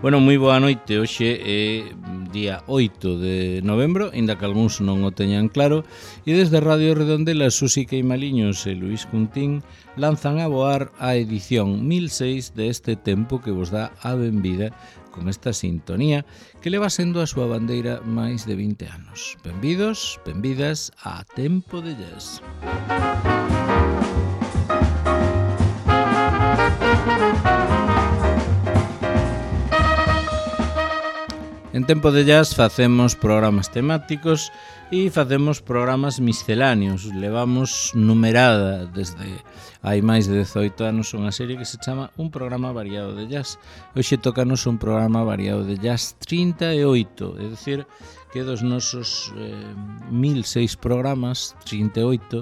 Bueno, moi boa noite. Hoxe é día 8 de novembro, inda que algúns non o teñan claro, e desde Radio Redondela, Susi Queimaliños e Luís Cuntín lanzan a voar a edición 1006 deste tempo que vos dá a benvida con esta sintonía que leva sendo a súa bandeira máis de 20 anos. Benvidos, benvidas a Tempo de Jazz. En Tempo de Jazz facemos programas temáticos e facemos programas misceláneos. Levamos numerada desde hai máis de 18 anos unha serie que se chama Un programa variado de jazz. Hoxe tócanos un programa variado de jazz 38, é dicir, que dos nosos 1006 programas, 38,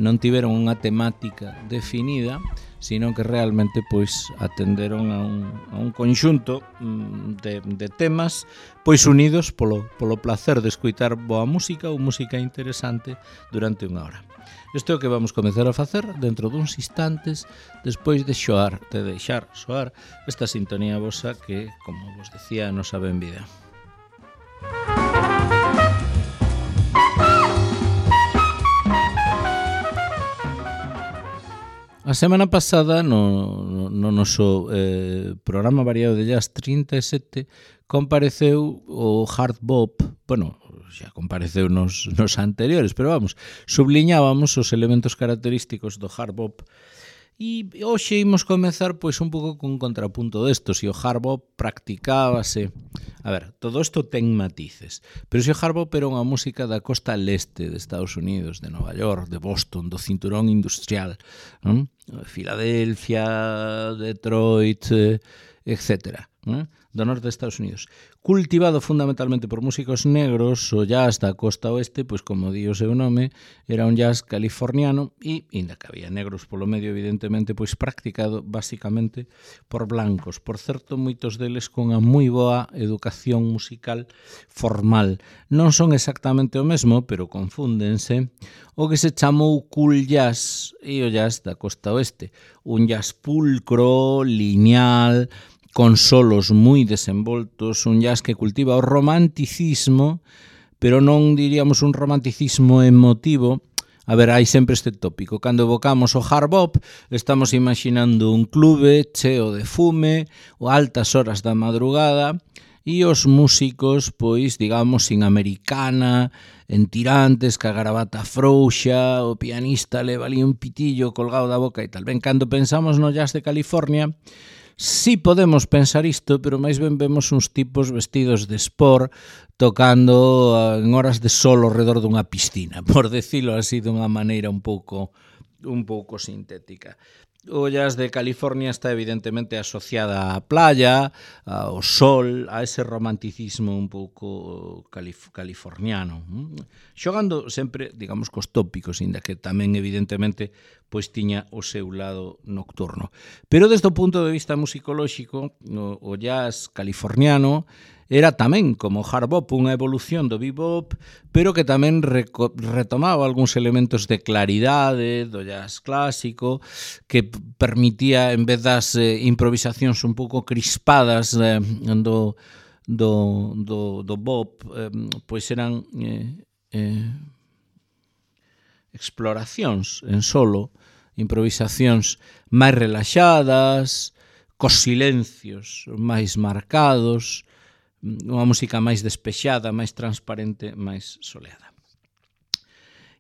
non tiveron unha temática definida, sino que realmente pois atenderon a un conxunto de temas pois unidos polo placer de escoitar boa música ou música interesante durante unha hora. Isto é o que vamos comezar a facer dentro duns instantes despois de deixar soar esta sintonía vosa que, como vos decía, nos a benvida. A semana pasada, no noso programa variado de jazz 37, compareceu o hard bop, bueno, xa compareceu nos anteriores, pero vamos, subliñábamos os elementos característicos do hard bop. E hoxe imos comezar pois un pouco con contrapunto desto. Se o hard bop practicábase, a ver, todo isto ten matices, pero se o hard bop era unha música da costa leste de Estados Unidos, de Nova York, de Boston, do cinturón industrial, non? Filadelfia, Detroit, etcétera, non? Do norte de Estados Unidos, cultivado fundamentalmente por músicos negros, o jazz da costa oeste, pois como di o seu nome, era un jazz californiano e, inda que había negros polo medio, evidentemente, pois practicado basicamente por blancos. Por certo, moitos deles con a moi boa educación musical formal. Non son exactamente o mesmo, pero confúndense o que se chamou cool jazz e o jazz da costa oeste. Un jazz pulcro, lineal, con solos moi desenvoltos, un jazz que cultiva o romanticismo, pero non diríamos un romanticismo emotivo. A ver, hai sempre este tópico. Cando evocamos o hard bop, estamos imaginando un clube cheo de fume, ou altas horas da madrugada, e os músicos, pois, digamos, sin americana, en tirantes, ca gravata frouxa, o pianista leva ali un pitillo colgado da boca e tal. Ben, cando pensamos no jazz de California, sí podemos pensar isto, pero máis ben vemos uns tipos vestidos de sport tocando en horas de sol ao redor dunha piscina, por decirlo así dunha maneira un pouco sintética. O jazz de California está evidentemente asociada á playa, ao sol, a ese romanticismo un pouco californiano, xogando sempre, digamos, cos tópicos, inda que tamén evidentemente pois tiña o seu lado nocturno. Pero desde o punto de vista musicolóxico, o jazz californiano era tamén, como hard bop, unha evolución do bebop, pero que tamén retomaba algúns elementos de claridade do jazz clásico, que permitía, en vez das improvisacións un pouco crispadas do bop, pois eran exploracións en solo, improvisacións máis relaxadas, cos silencios máis marcados, unha música máis despexada, máis transparente, máis soleada.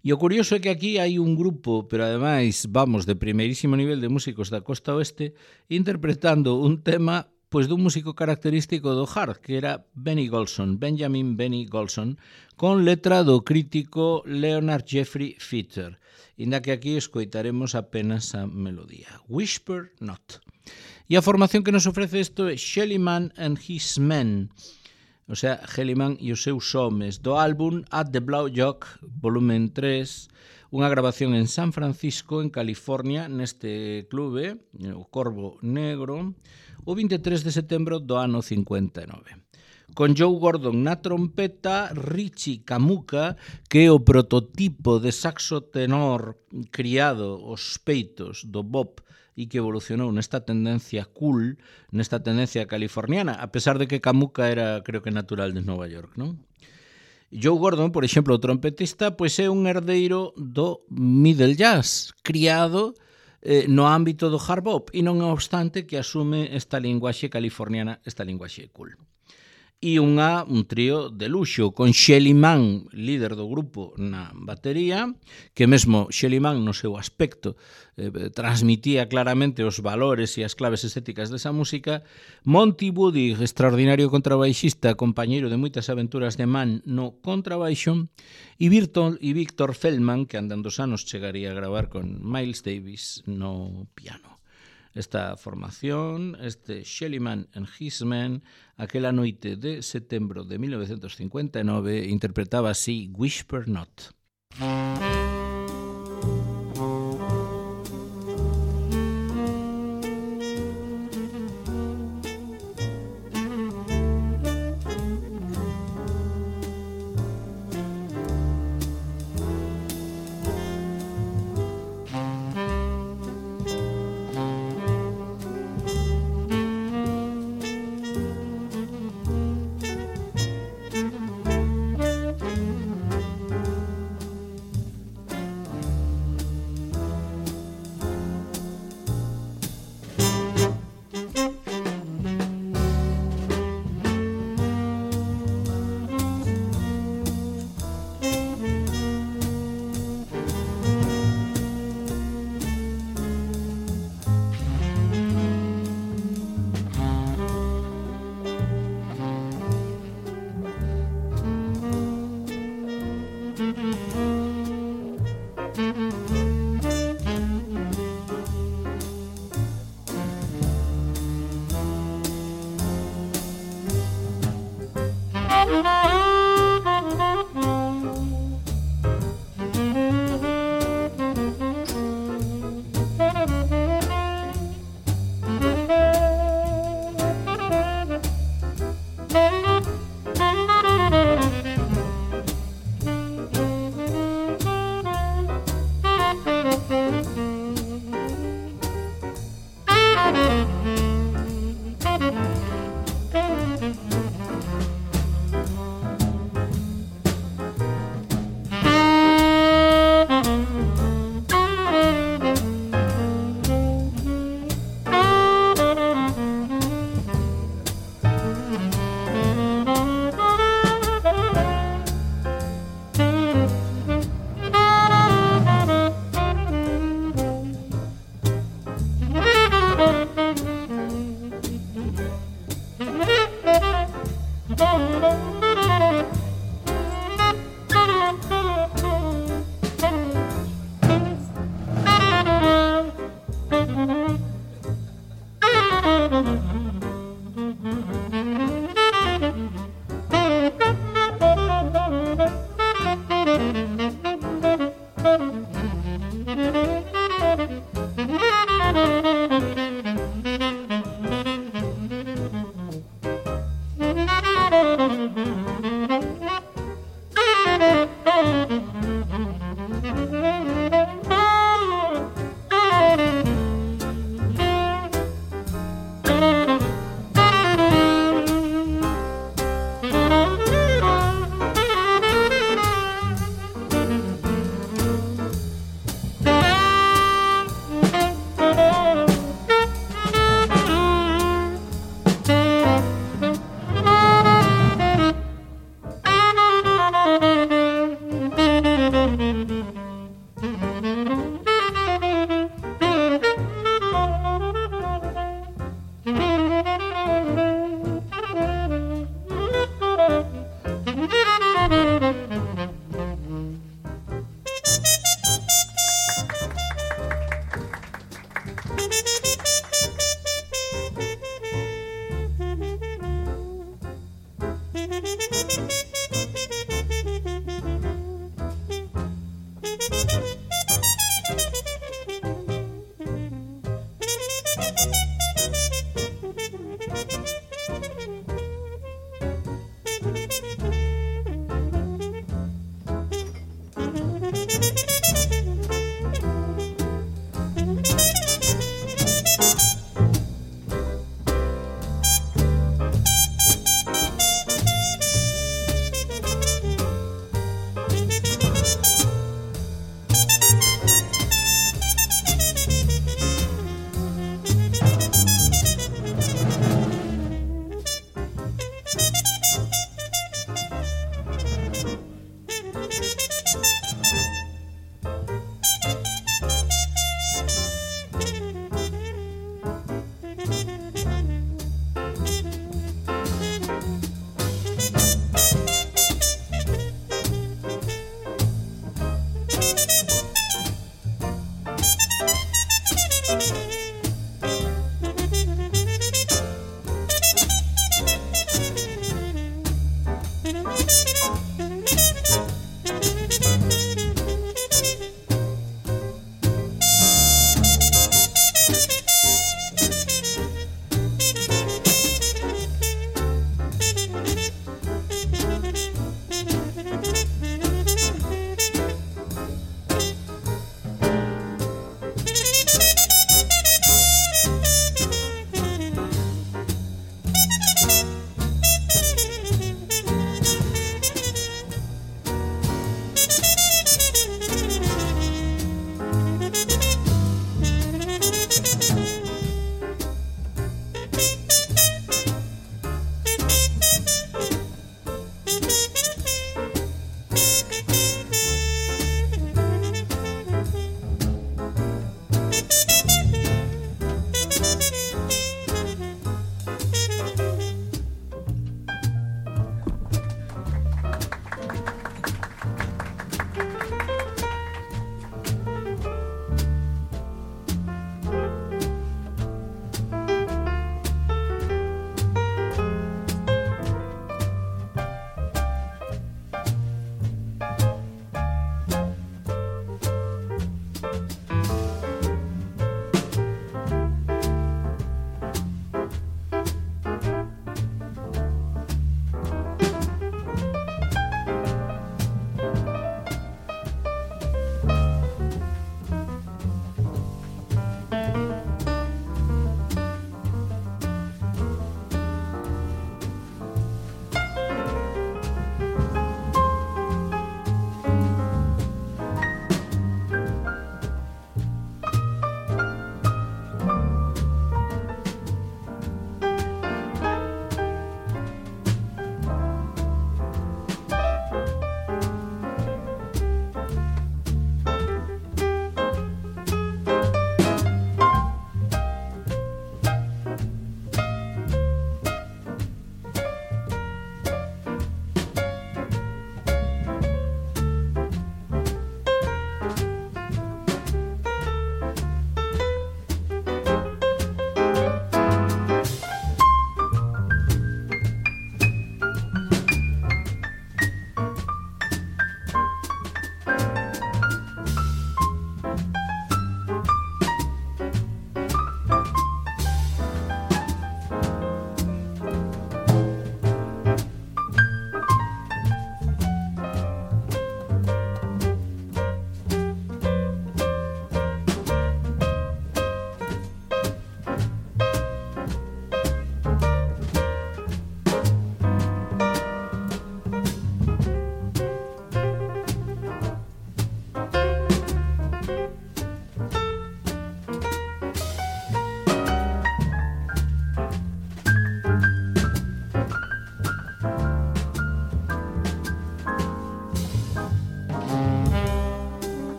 E o curioso é que aquí hai un grupo, pero ademais, vamos, de primeirísimo nivel de músicos da costa oeste, interpretando un tema pois dun músico característico do hard, que era Benjamin Benny Golson, con letra do crítico Leonard Jeffrey Feather, inda que aquí escoitaremos apenas a melodía. Whisper Not. E a formación que nos ofrece isto é Shellyman and His Men, o sea, Shellyman e os seus homes, do álbum At the Blue Jock, volumen 3, unha grabación en San Francisco, en California, neste clube, o Corvo Negro, o 23 de setembro do ano 59. con Joe Gordon na trompeta, Richie Camuca, que é o prototipo de saxo tenor criado aos peitos do bop e que evolucionou nesta tendencia cool, nesta tendencia californiana, a pesar de que Camuca era, creo que, natural de Nova York, non? Joe Gordon, por exemplo, o trompetista, pois é un herdeiro do middle jazz, criado no ámbito do hard bop, e non obstante que asume esta linguaxe californiana, esta linguaxe cool. E un trío de luxo, con Shelly Manne, líder do grupo na batería, que mesmo Shelly Manne no seu aspecto transmitía claramente os valores e as claves estéticas desa música, Monty Woody, extraordinario contrabaixista, compañeiro de moitas aventuras de Manne no contrabaixo, e Victor Feldman, que andando os anos chegaría a gravar con Miles Davis no piano. Esta formación, este Shelly Manne and His Men, aquela noite de setembro de 1959, interpretaba así Whisper Not.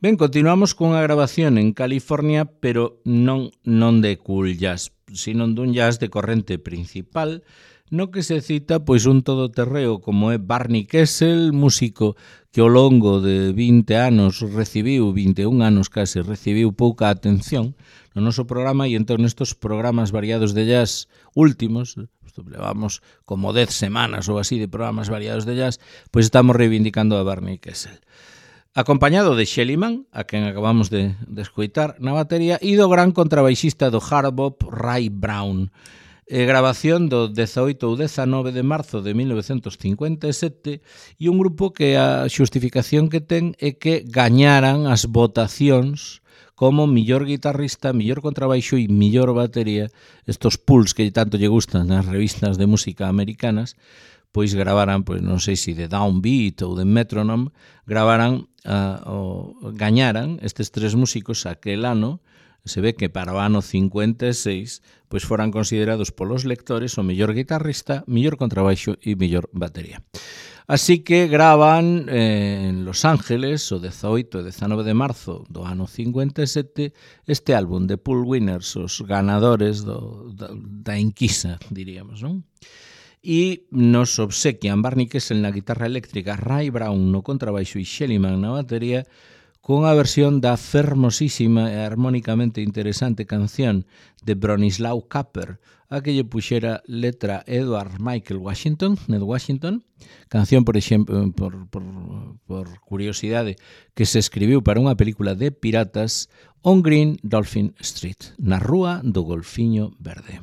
Ben, continuamos cunha grabación en California, pero non de cool jazz, sino dun jazz de corrente principal, no que se cita pois un todoterreo como é Barney Kessel, músico que ao longo de 20 anos recibiu, 21 anos case, recibiu pouca atención no noso programa, e entón nestos programas variados de jazz últimos, levamos como 10 semanas ou así de programas variados de jazz, pois estamos reivindicando a Barney Kessel. Acompañado de Shellyman, a quen acabamos de escoitar na batería, e do gran contrabaixista do hard bop Ray Brown. Grabación do 18 ou 19 de marzo de 1957, e un grupo que a xustificación que ten é que gañaran as votacións como millor guitarrista, millor contrabaixo e millor batería, estos pools que tanto lle gustan nas revistas de música americanas, pois gravaran, pois non sei se de Downbeat ou de Metronome, gañaran estes tres músicos aquel ano. Se ve que para o ano 56 pois foran considerados polos lectores o mellor guitarrista, mellor contrabaixo e mellor batería. Así que gravan en Los Ángeles o 18 e 19 de marzo do ano 57 este álbum de Pool Winners, os ganadores da enquisa, diríamos, non? E nos obsequian Barney Kessel na guitarra eléctrica, Ray Brown no contrabaixo e Shellyman na batería, con a versión da fermosísima e armónicamente interesante canción de Bronislaw Kapper, a que lle puxera letra Edward Michael Washington, Ned Washington, canción, por exemplo, por curiosidade, que se escribiu para unha película de piratas, On Green Dolphin Street, na rúa do Golfiño Verde.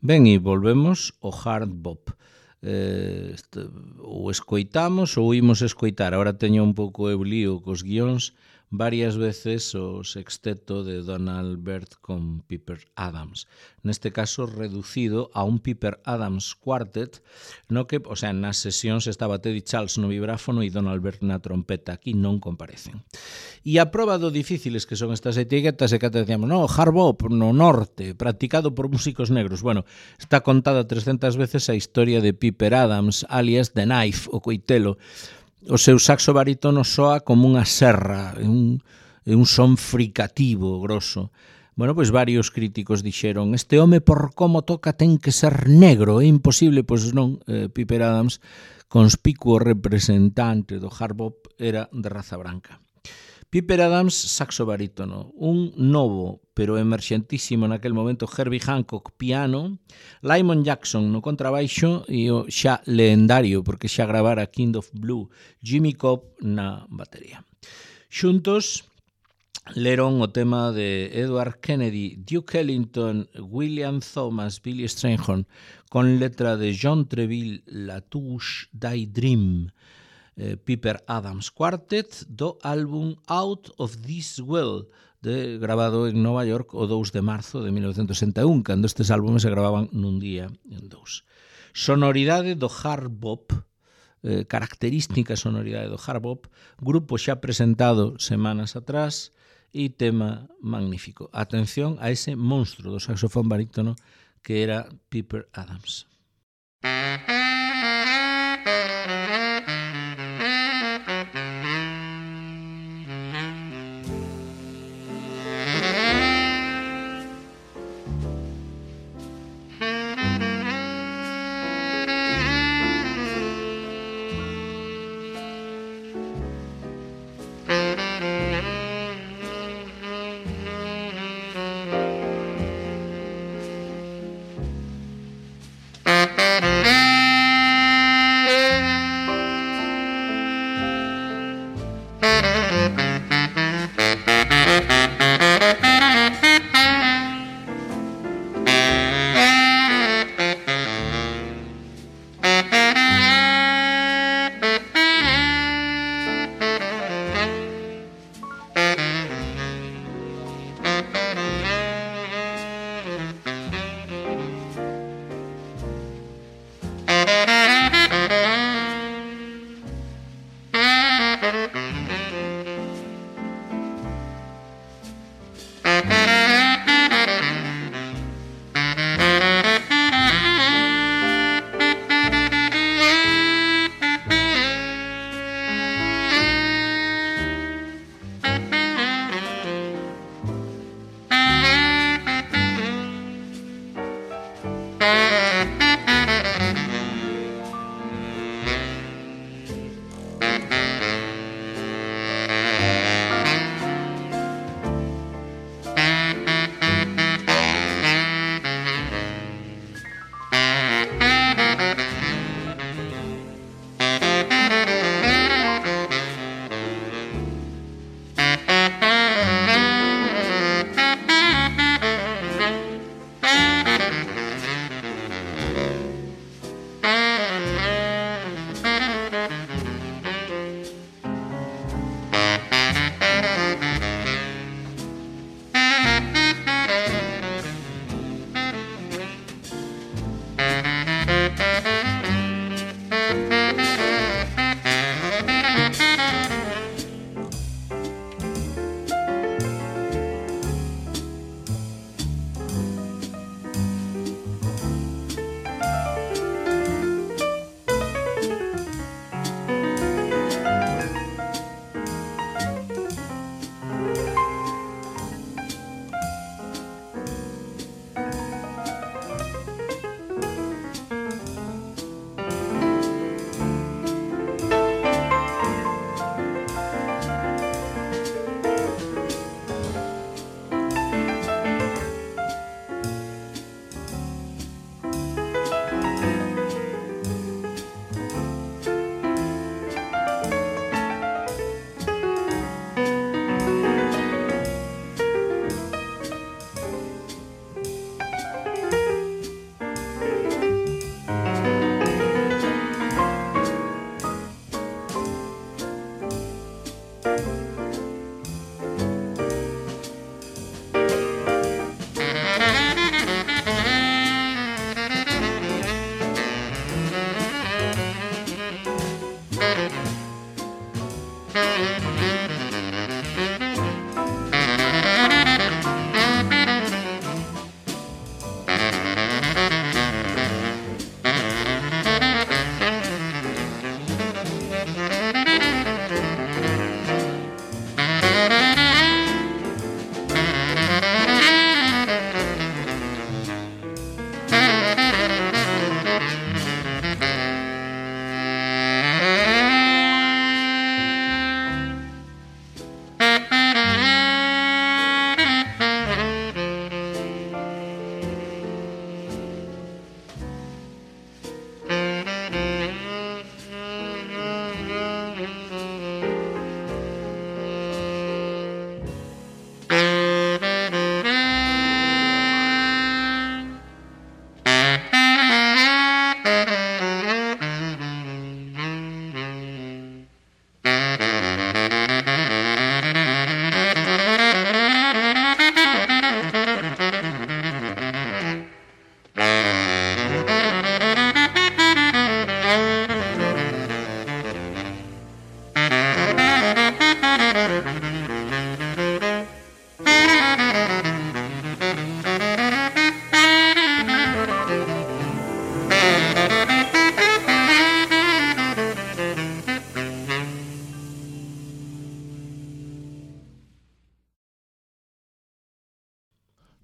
Ben, e volvemos ao hard bop. Ou escoitamos ou imos escoitar. Ahora teño un pouco eu lío cos guións, varias veces o sexteto de Donald Byrd con Piper Adams. Neste caso reducido a un Piper Adams Quartet, no que, o sea, nas sesións estaba Teddy Charles no vibráfono e Donald Byrd na trompeta. Aquí non comparecen. E a proba do difíciles que son estas etiquetas é que te decíamos, no, hard bop no norte, practicado por músicos negros. Bueno, está contada 300 veces a historia de Piper Adams, alias The Knife, o coitelo. O seu saxo barítono soa como unha serra, un son fricativo, grosso. Bueno, pois varios críticos dixeron, este home por como toca ten que ser negro, é imposible, pois non, Piper Adams, conspicuo representante do hard bop, era de raza branca. Piper Adams, saxo barítono, un novo, pero emerxentísimo naquel momento, Herbie Hancock, piano, Lyman Jackson no contrabaixo e o xa lendario, porque xa gravara King of Blue, Jimmy Cobb na batería. Xuntos leron o tema de Edward Kennedy, Duke Ellington, William Thomas, Billy Strayhorn, con letra de John Treville, La Touche Die Dream, Piper Adams Quartet, do álbum Out of This World, grabado en Nova York o 2 de marzo de 1961, cando estes álbumes se gravaban nun día en dous. Sonoridade do hard bop, característica sonoridade do hard bop, grupo xa presentado semanas atrás e tema magnífico. Atención a ese monstro do saxofón barítono que era Piper Adams.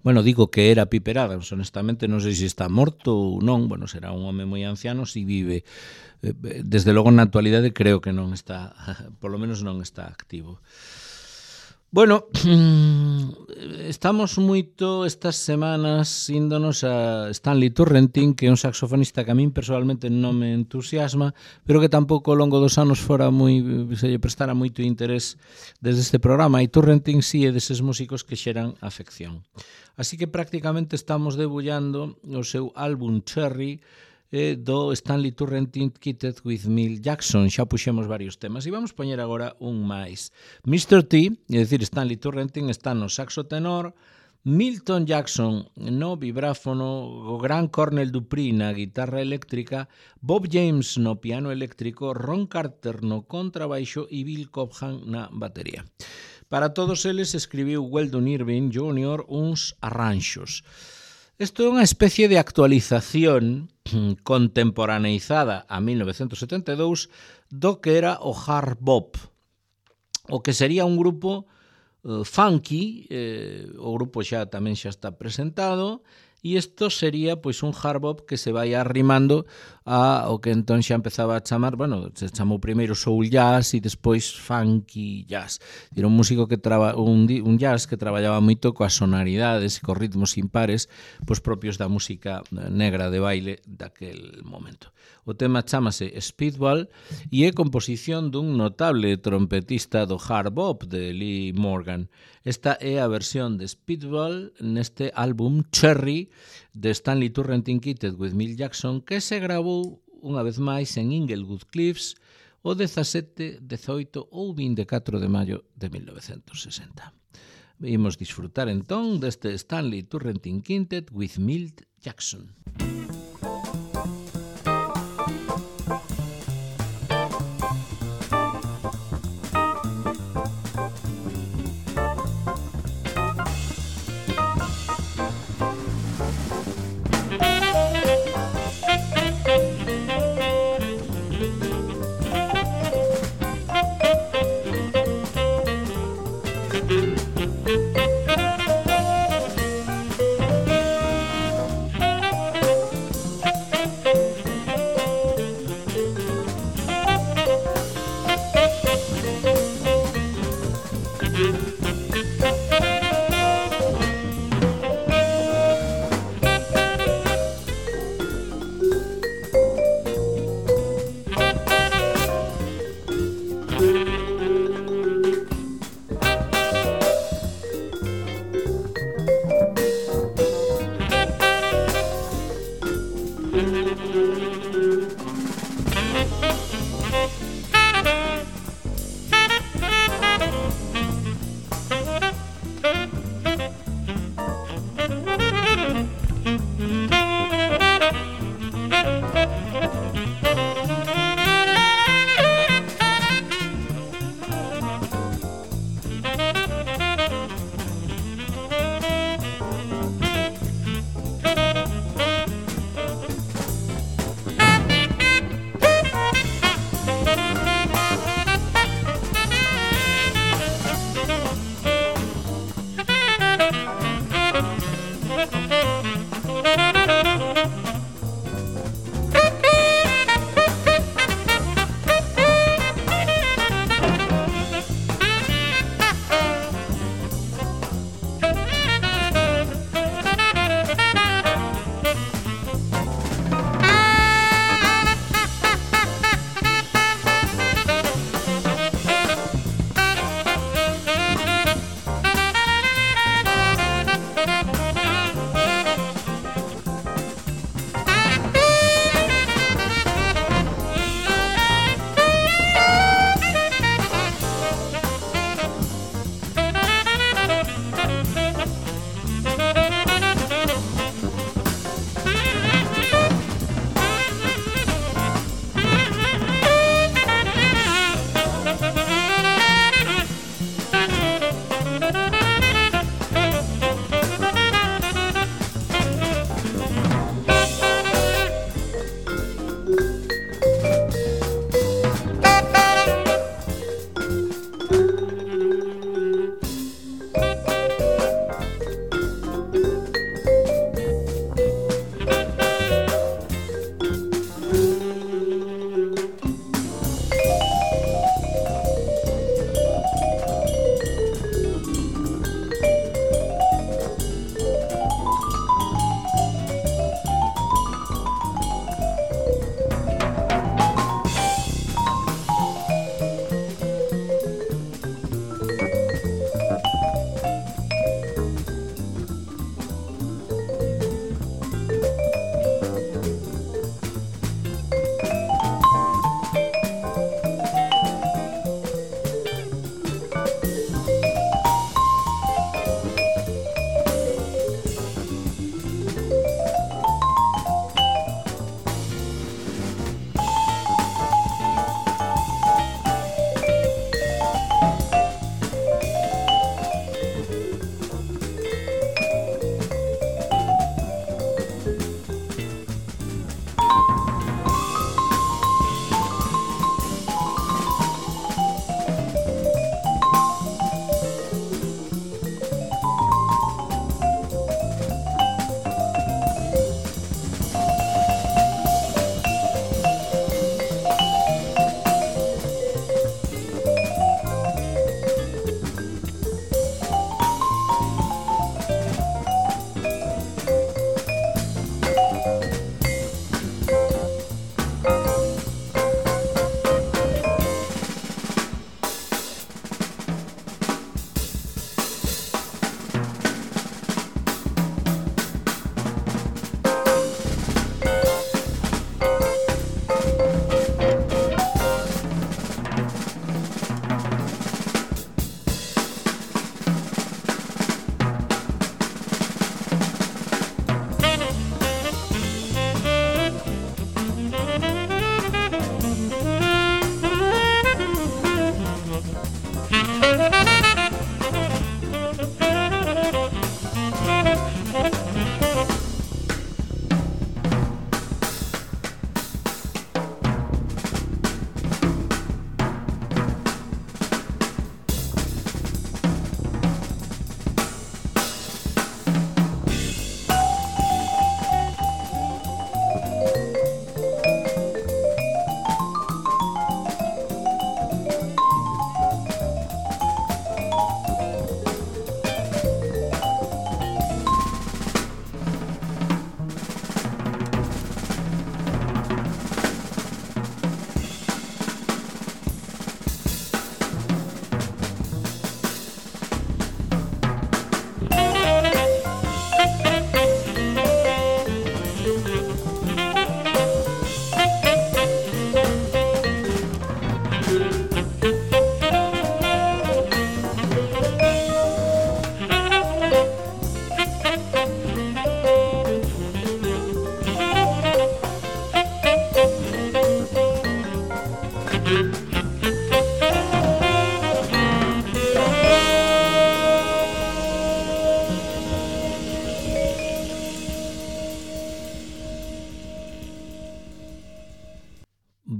Bueno, digo que era Piper Adams, honestamente non sei se está morto ou non, bueno, será un home moi anciano se vive. Desde logo na actualidade creo que non está, polo menos non está activo. Bueno, estamos moito estas semanas índonos a Stanley Turrentine, que é un saxofonista que a min personalmente non me entusiasma, pero que tampouco ao longo dos anos se lle prestara moito interés desde este programa, e Turrentine sí é deses músicos que xeran afección. Así que prácticamente estamos debullando o seu álbum Cherry do Stanley Turrentine Kitted with Milt Jackson. Xa puxemos varios temas e vamos poñer agora un máis. Mr. T, é dicir, Stanley Turrentine está no saxo tenor, Milton Jackson no vibráfono, o gran Cornell Dupree na guitarra eléctrica, Bob James no piano eléctrico, Ron Carter no contrabaixo e Bill Cobham na batería. Para todos eles escribiu Weldon Irving Jr. uns arranxos. Isto é unha especie de actualización contemporaneizada a 1972 do que era o hard bop, o que sería un grupo funky, o grupo tamén xa está presentado, e isto sería pois un hard bop que se vai arrimando a o que entón xa empezaba a chamar, bueno, se chamou primeiro soul jazz e despois funky jazz. Era un músico que un jazz que traballaba moito coas sonoridades e cos ritmos impares pois propios da música negra de baile daquel momento. O tema chámase Speedball e é composición dun notable trompetista do hard bop de Lee Morgan. Esta é a versión de Speedball neste álbum Cherry de Stanley Turrentine Kitted with Milt Jackson, que se gravou unha vez máis en Inglewood Cliffs o 17, 18 ou 24 de maio de 1960. Imos disfrutar entón deste Stanley Turrentine Kitted with Milt Jackson.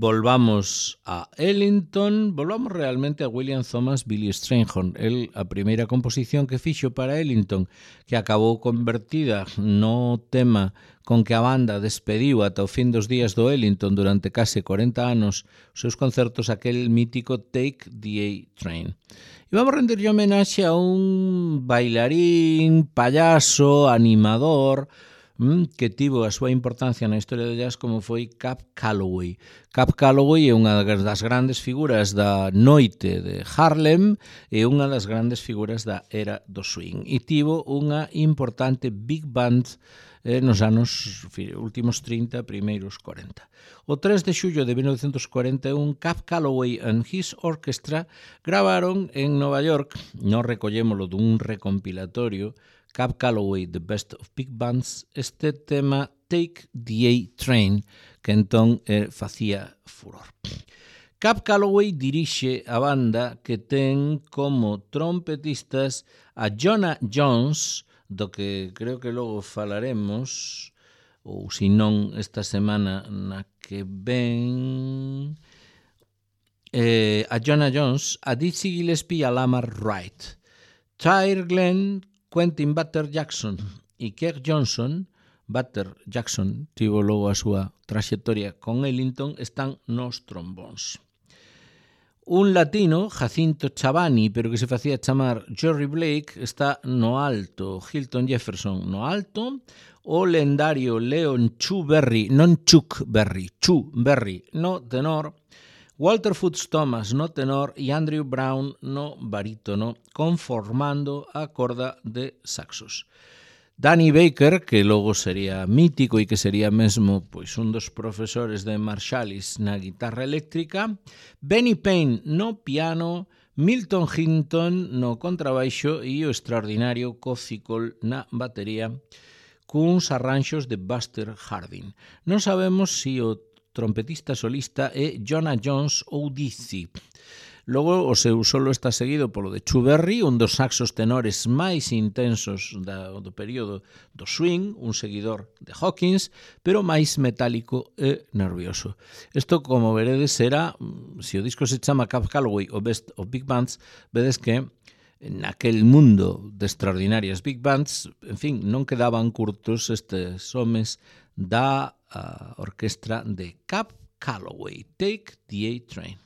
volvamos a Ellington, volvamos realmente a William Thomas Billy Strayhorn. A primeira composición que fixo para Ellington, que acabou convertida no tema con que a banda despediu ata o fin dos días do Ellington durante case 40 anos os seus concertos, aquel mítico Take the A-Train. E vamos renderlle homenaxe a un bailarín, payaso, animador, que tivo a súa importancia na historia do jazz como foi Cab Calloway. Cab Calloway é unha das grandes figuras da noite de Harlem e unha das grandes figuras da era do swing. E tivo unha importante big band nos anos últimos 30, primeiros 40. O 3 de xullo de 1941, Cab Calloway and his orchestra gravaron en Nova York, non recollémolo dun recompilatorio, Cab Calloway, The Best of Big Bands, este tema Take the A-Train, que entón facía furor. Cab Calloway dirixe a banda que ten como trompetistas a Jonah Jones, do que creo que logo falaremos, ou se non esta semana na que ven, a Jonah Jones, a Dizzy Gillespie e a Lamar Wright. Tyre Glenn, Quentin Butter Jackson e Kirk Johnson. Butter Jackson tivo logo a súa traxectoria con Ellington, están nos trombóns. Un latino, Jacinto Chavani, pero que se facía chamar Jerry Blake, está no alto. Hilton Jefferson no alto. O lendario Leon Chu Berry, non Chuck Berry, Chu Berry no tenor. Walter Foots Thomas no tenor e Andrew Brown no barítono, conformando a corda de saxos. Danny Baker, que logo sería mítico e que sería mesmo pois un dos profesores de Marsalis na guitarra eléctrica, Benny Payne no piano, Milton Hinton no contrabaixo e o extraordinario Coffee Cole na batería, cuns arranxos de Buster Harding. Non sabemos se o trompetista solista é Jonah Jones ou Dizzy. Logo, o seu solo está seguido polo de Chu Berry, un dos saxos tenores máis intensos do período do swing, un seguidor de Hawkins, pero máis metálico e nervioso. Isto, como veredes, será, se o disco se chama Cab Calloway o Best of Big Bands, vedes que naquel mundo de extraordinarias big bands, en fin, non quedaban curtos estes homes da orquestra de Cab Calloway. Take the A-Train.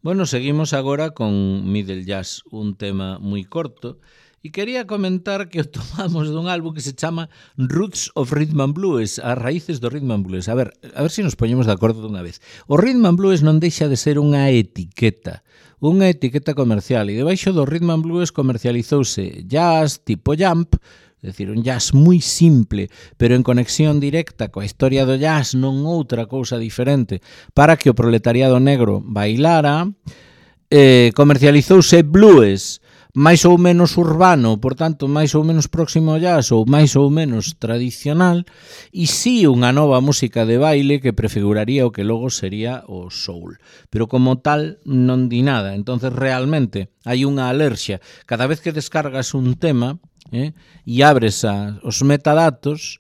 Bueno, seguimos agora con Middle Jazz, un tema moi corto, e quería comentar que o tomamos dun álbum que se chama Roots of Rhythm and Blues, as raíces do Rhythm and Blues. A ver se nos poñemos de acordo dunha vez. O Rhythm and Blues non deixa de ser unha etiqueta comercial, e debaixo do Rhythm and Blues comercializouse jazz tipo jump, é dicir, un jazz moi simple, pero en conexión directa coa historia do jazz, non outra cousa diferente, para que o proletariado negro bailara. Comercializouse blues, máis ou menos urbano, por tanto, máis ou menos próximo ao jazz ou máis ou menos tradicional, e si unha nova música de baile que prefiguraría o que logo sería o soul. Pero como tal, non di nada. Entonces, realmente, hai unha alerxia. Cada vez que descargas un tema, e abres os metadatos,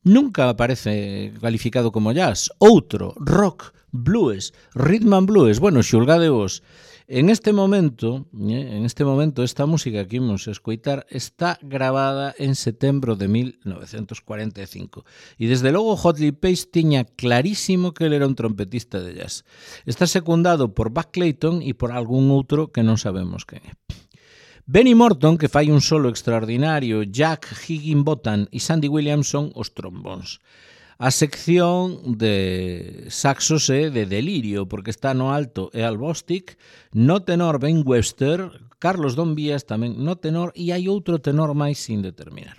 nunca aparece calificado como jazz. Outro, rock, blues, rhythm and blues. Bueno, xulgade vos. En este momento, esta música que imos escoitar está grabada en setembro de 1945. E desde logo Hot Lip Page tiña clarísimo que ele era un trompetista de jazz. Está secundado por Buck Clayton e por algún outro que non sabemos quen é. Benny Morton, que fai un solo extraordinario, Jack Higginbotham e Sandy Williamson os trombóns. A sección de saxos é de delirio, porque está no alto e Al Bostic, no tenor Ben Webster, Carlos Don Vías tamén no tenor, e hai outro tenor máis sin determinar.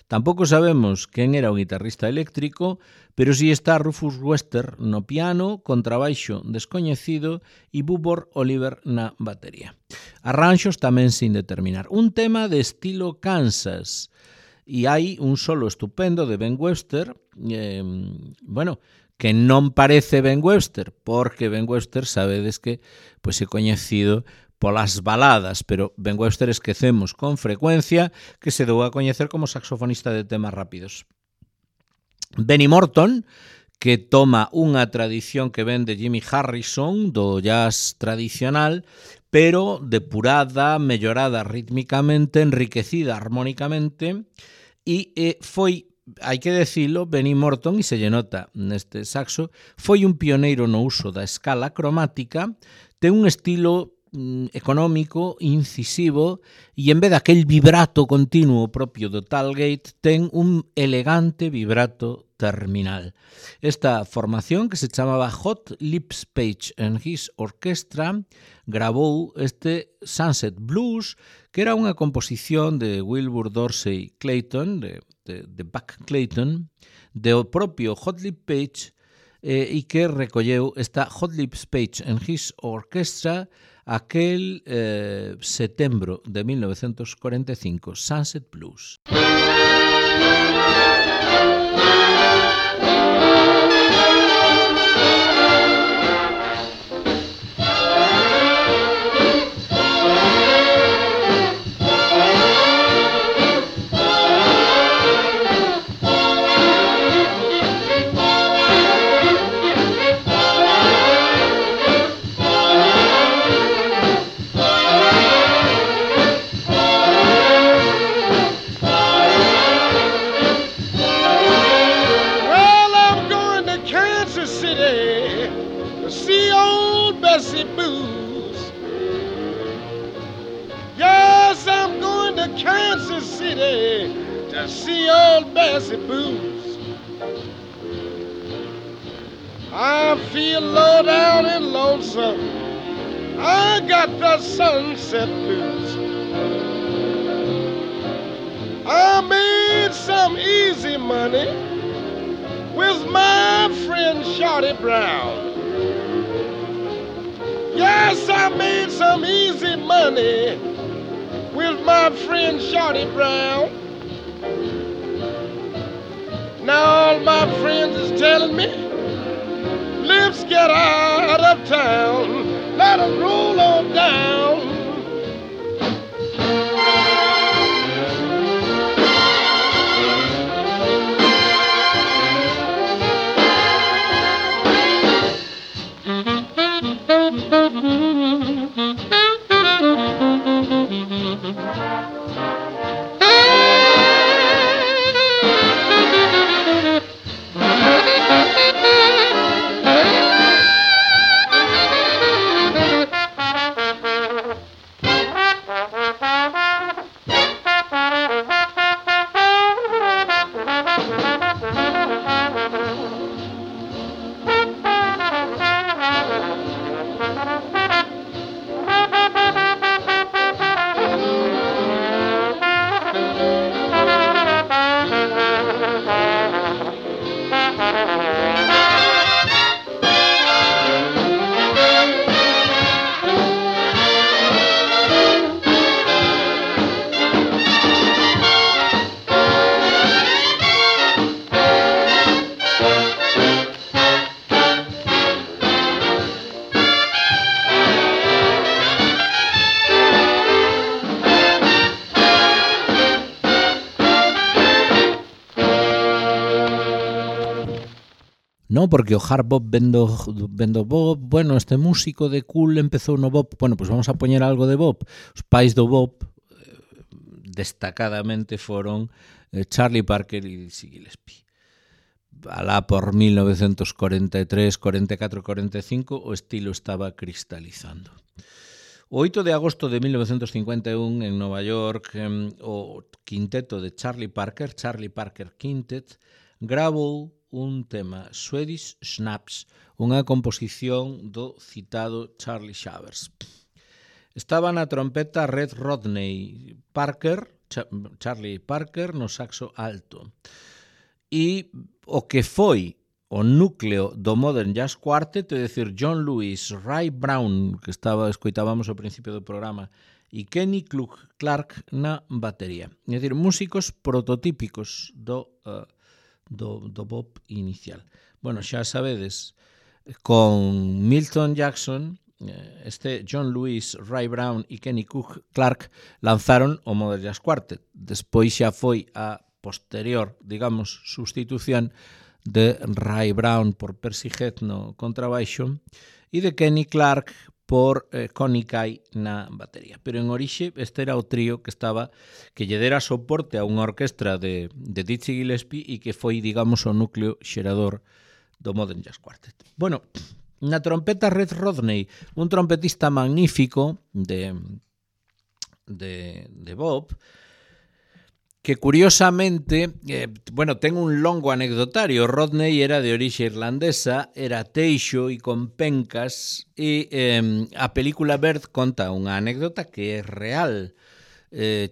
Tampouco sabemos quen era o guitarrista eléctrico, pero si está Rufus Wester no piano, contrabaixo descoñecido e Bubor Oliver na batería. Arranxos tamén sin determinar. Un tema de estilo Kansas, e hai un solo estupendo de Ben Webster, que non parece Ben Webster, porque Ben Webster sabedes que é coñecido polas baladas, pero Ben Webster esquecemos con frecuencia que se deu a coñecer como saxofonista de temas rápidos. Benny Morton, que toma unha tradición que ven de Jimmy Harrison, do jazz tradicional, pero depurada, mellorada rítmicamente, enriquecida armónicamente, e foi, hai que decilo, Benny Morton, e se lle nota neste saxo, foi un pioneiro no uso da escala cromática, ten un estilo económico, incisivo, e en vez daquel vibrato continuo propio do Talgate, ten un elegante vibrato terminal. Esta formación, que se chamaba Hot Lip Page and His Orchestra, grabou este Sunset Blues, que era unha composición de Wilbur Dorsey Clayton, de Buck Clayton, do propio Hot Lip Page, e que recolleu esta Hot Lip Page and His Orchestra aquel setembro de 1945, Sunset Blues. To see old Bessie Booze. I feel low down and lonesome. I got the sunset blues. I made some easy money with my friend Shorty Brown. Yes, I made some easy money with my friend Shorty Brown. Now all my friends is telling me, let's get out of town, let us roll on down. No, porque o hard bop vendo bop, bueno, este músico de cool empezou no bop, bueno, pues vamos a poñer algo de bop. Os pais do bop destacadamente foron Charlie Parker e Dizzy Gillespie. Alá por 1943, 44, 45 o estilo estaba cristalizando. O 8 de agosto de 1951 en Nova York o quinteto de Charlie Parker Quintet, gravou un tema, Swedish Snaps, unha composición do citado Charlie Shavers. Estaba na trompeta Red Rodney Parker, Charlie Parker no saxo alto. E o que foi o núcleo do Modern Jazz Quartet, é dicir, John Lewis, Ray Brown, que escoitábamos ao principio do programa, e Kenny Clark na batería. É dicir, músicos prototípicos do bop inicial. Bueno, xa sabedes, con Milton Jackson, este John Lewis, Ray Brown e Kenny Clark lanzaron o Modern Jazz Quartet. Despois xa foi a posterior, digamos, sustitución de Ray Brown por Percy Heath no contrabaixo e de Kenny Clark por Connie Kay na batería. Pero en orixe este era o trío que lle dera soporte a unha orquestra de Dizzy Gillespie e que foi, digamos, o núcleo xerador do Modern Jazz Quartet. Bueno, na trompeta Red Rodney, un trompetista magnífico de bop, que curiosamente, ten un longo anecdotario. Rodney era de orixe irlandesa, era teixo e con pencas, e a película Bird conta unha anécdota que é real.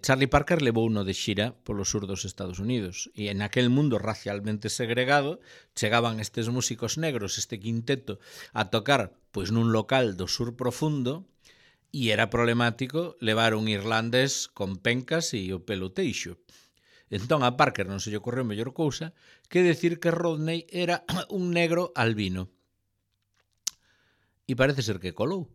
Charlie Parker levou uno de xira polo sur dos Estados Unidos e en aquel mundo racialmente segregado chegaban estes músicos negros, este quinteto, a tocar pois nun local do sur profundo e era problemático levar un irlandés con pencas e o pelo teixo. Entón a Parker non se lle ocorreu mellor cousa que decir que Rodney era un negro albino. E parece ser que colou.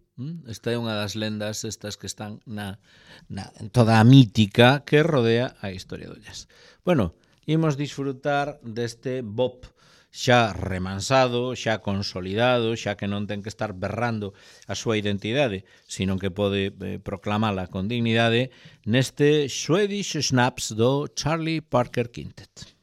Esta é unha das lendas estas que están en toda a mítica que rodea a historia do jazz. Bueno, imos disfrutar deste bop xa remansado, xa consolidado, xa que non ten que estar berrando a súa identidade, sino que pode proclamala con dignidade neste Swedish Snaps do Charlie Parker Quintet.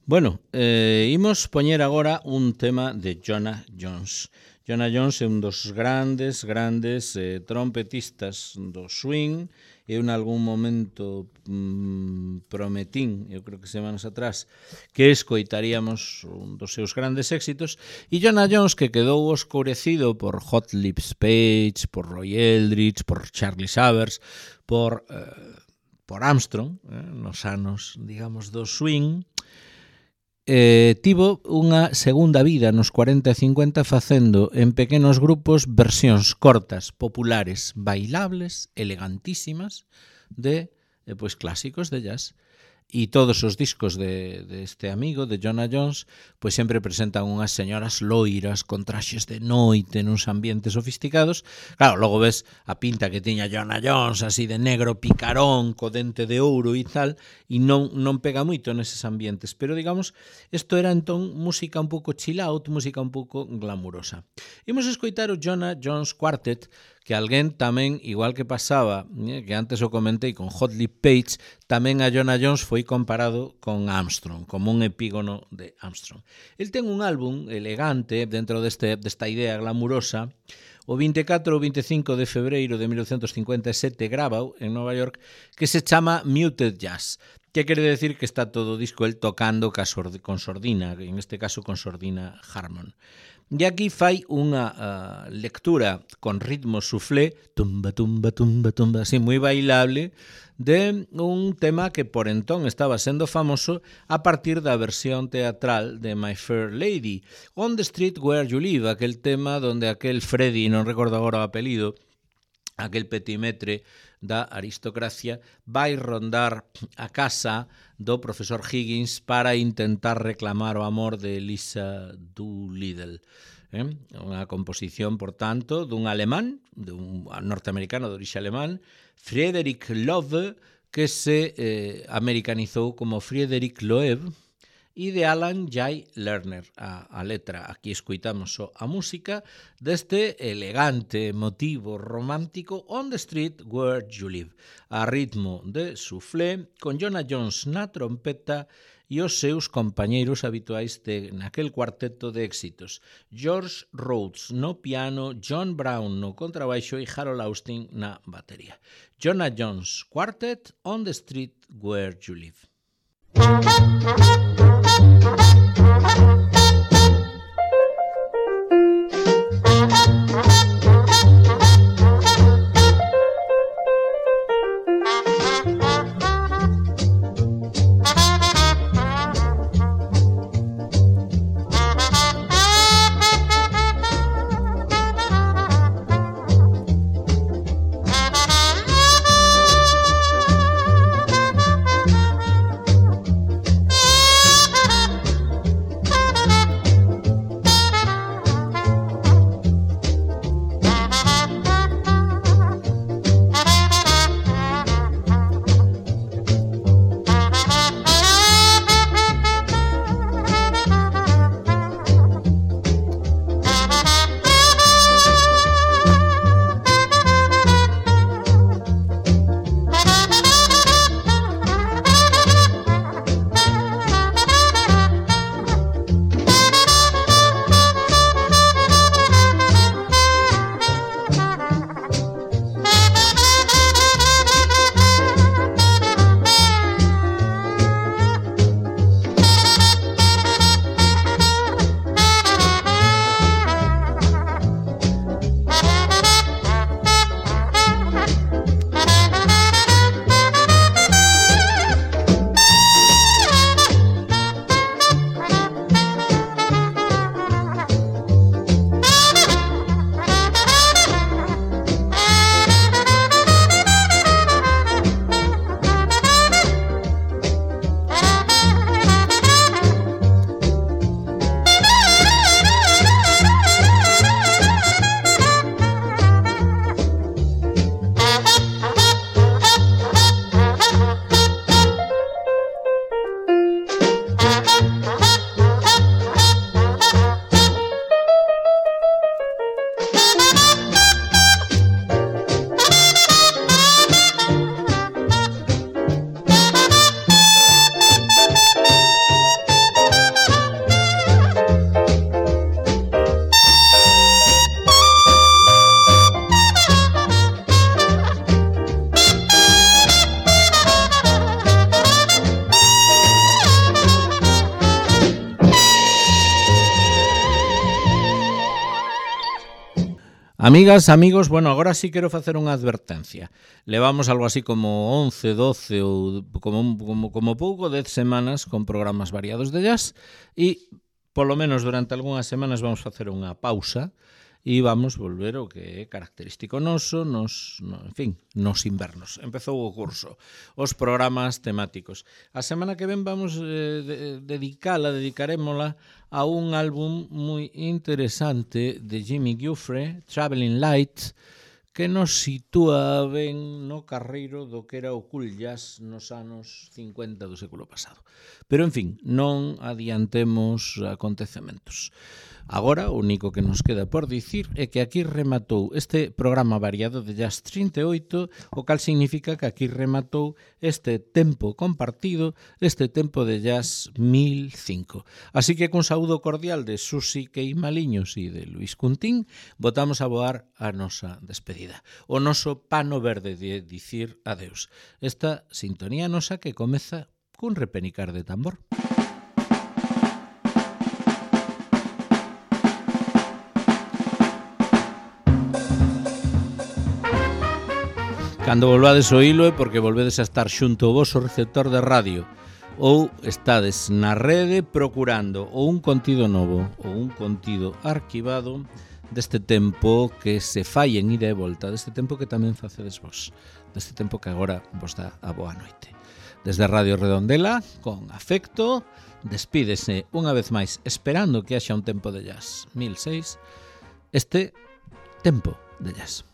Bueno, imos poñer agora un tema de Jonah Jones. Jonah Jones é un dos grandes trompetistas do swing. Eu en algún momento prometín, eu creo que semanas atrás, que escoitaríamos un dos seus grandes éxitos, e Jonah Jones, que quedou oscurecido por Hot Lips Page, por Roy Eldridge, por Charlie Savers, por Armstrong, nos anos, digamos, do swing, tivo unha segunda vida nos 40 e 50 facendo en pequenos grupos versións cortas, populares, bailables, elegantísimas de clásicos de jazz. E todos os discos de este amigo, de Jonah Jones, pois sempre presentan unhas señoras loiras con traxes de noite nuns ambientes sofisticados. Claro, logo ves a pinta que tiña Jonah Jones, así de negro picarón, co dente de ouro e tal, e non pega moito neses ambientes. Pero, digamos, isto era entón música un pouco chill out, música un pouco glamurosa. Imos escoitar o Jonah Jones Quartet, que alguén tamén, igual que pasaba, que antes o comentei con Hot Lips Page, tamén a Jonah Jones foi comparado con Armstrong, como un epígono de Armstrong. El ten un álbum elegante dentro desta idea glamurosa. O 24 ou 25 de febreiro de 1957 grabau en Nova York, que se chama Muted Jazz, que quere decir que está todo o disco el tocando con sordina, en este caso con sordina Harmon. E aquí fai unha lectura con ritmo soufflé, tumba, tumba, tumba, tumba, así moi bailable, de un tema que por entón estaba sendo famoso a partir da versión teatral de My Fair Lady, On the Street Where You Live, aquel tema donde aquel Freddy, non recordo agora o apelido, aquel petimetre da aristocracia, vai rondar a casa do profesor Higgins para intentar reclamar o amor de Lisa Doolittle. Unha composición, por tanto, dun alemán, dun norteamericano de orixe alemán, Friedrich Loewe, que se americanizou como Friedrich Loewe, e de Alan Jay Lerner, a letra. Aquí escoitamos a música deste elegante motivo romántico On the Street Where You Live, a ritmo de soufflé, con Jonah Jones na trompeta e os seus compañeiros habituais naquel cuarteto de éxitos. George Rhodes no piano, John Brown no contrabaixo e Harold Austin na batería. Jonah Jones Quartet, On the Street Where You Live. Amigas, amigos, bueno, agora sí quero facer unha advertencia. Levamos algo así como 11, 12 ou como pouco 10 semanas con programas variados de jazz e polo menos durante algunhas semanas vamos facer unha pausa e vamos volver o que é característico noso nos invernos. Empezou o curso, os programas temáticos. A semana que ven vamos dedicarémola a un álbum moi interesante de Jimmy Giuffre, Traveling Light, que nos sitúa ben no carreiro do que era o cool jazz nos anos 50 do século pasado. Pero, en fin, non adiantemos acontecementos. Agora, o único que nos queda por dicir é que aquí rematou este programa variado de Jazz 38, o cal significa que aquí rematou este tempo compartido, este tempo de Jazz 1005. Así que cun saúdo cordial de Susi Queimaliños e de Luis Cuntín, botamos a voar a nosa despedida. O noso pano verde de dicir adeus. Esta sintonía nosa que comeza cun repenicar de tambor. Cando volvades o hilo é porque volvedes a estar xunto ao voso receptor de radio ou estades na rede procurando ou un contido novo ou un contido arquivado deste tempo que se fai en ida e volta, deste tempo que tamén facedes vos, deste tempo que agora vos dá a boa noite. Desde Radio Redondela, con afecto, despídese unha vez máis esperando que haxa un tempo de jazz 1006, este tempo de jazz.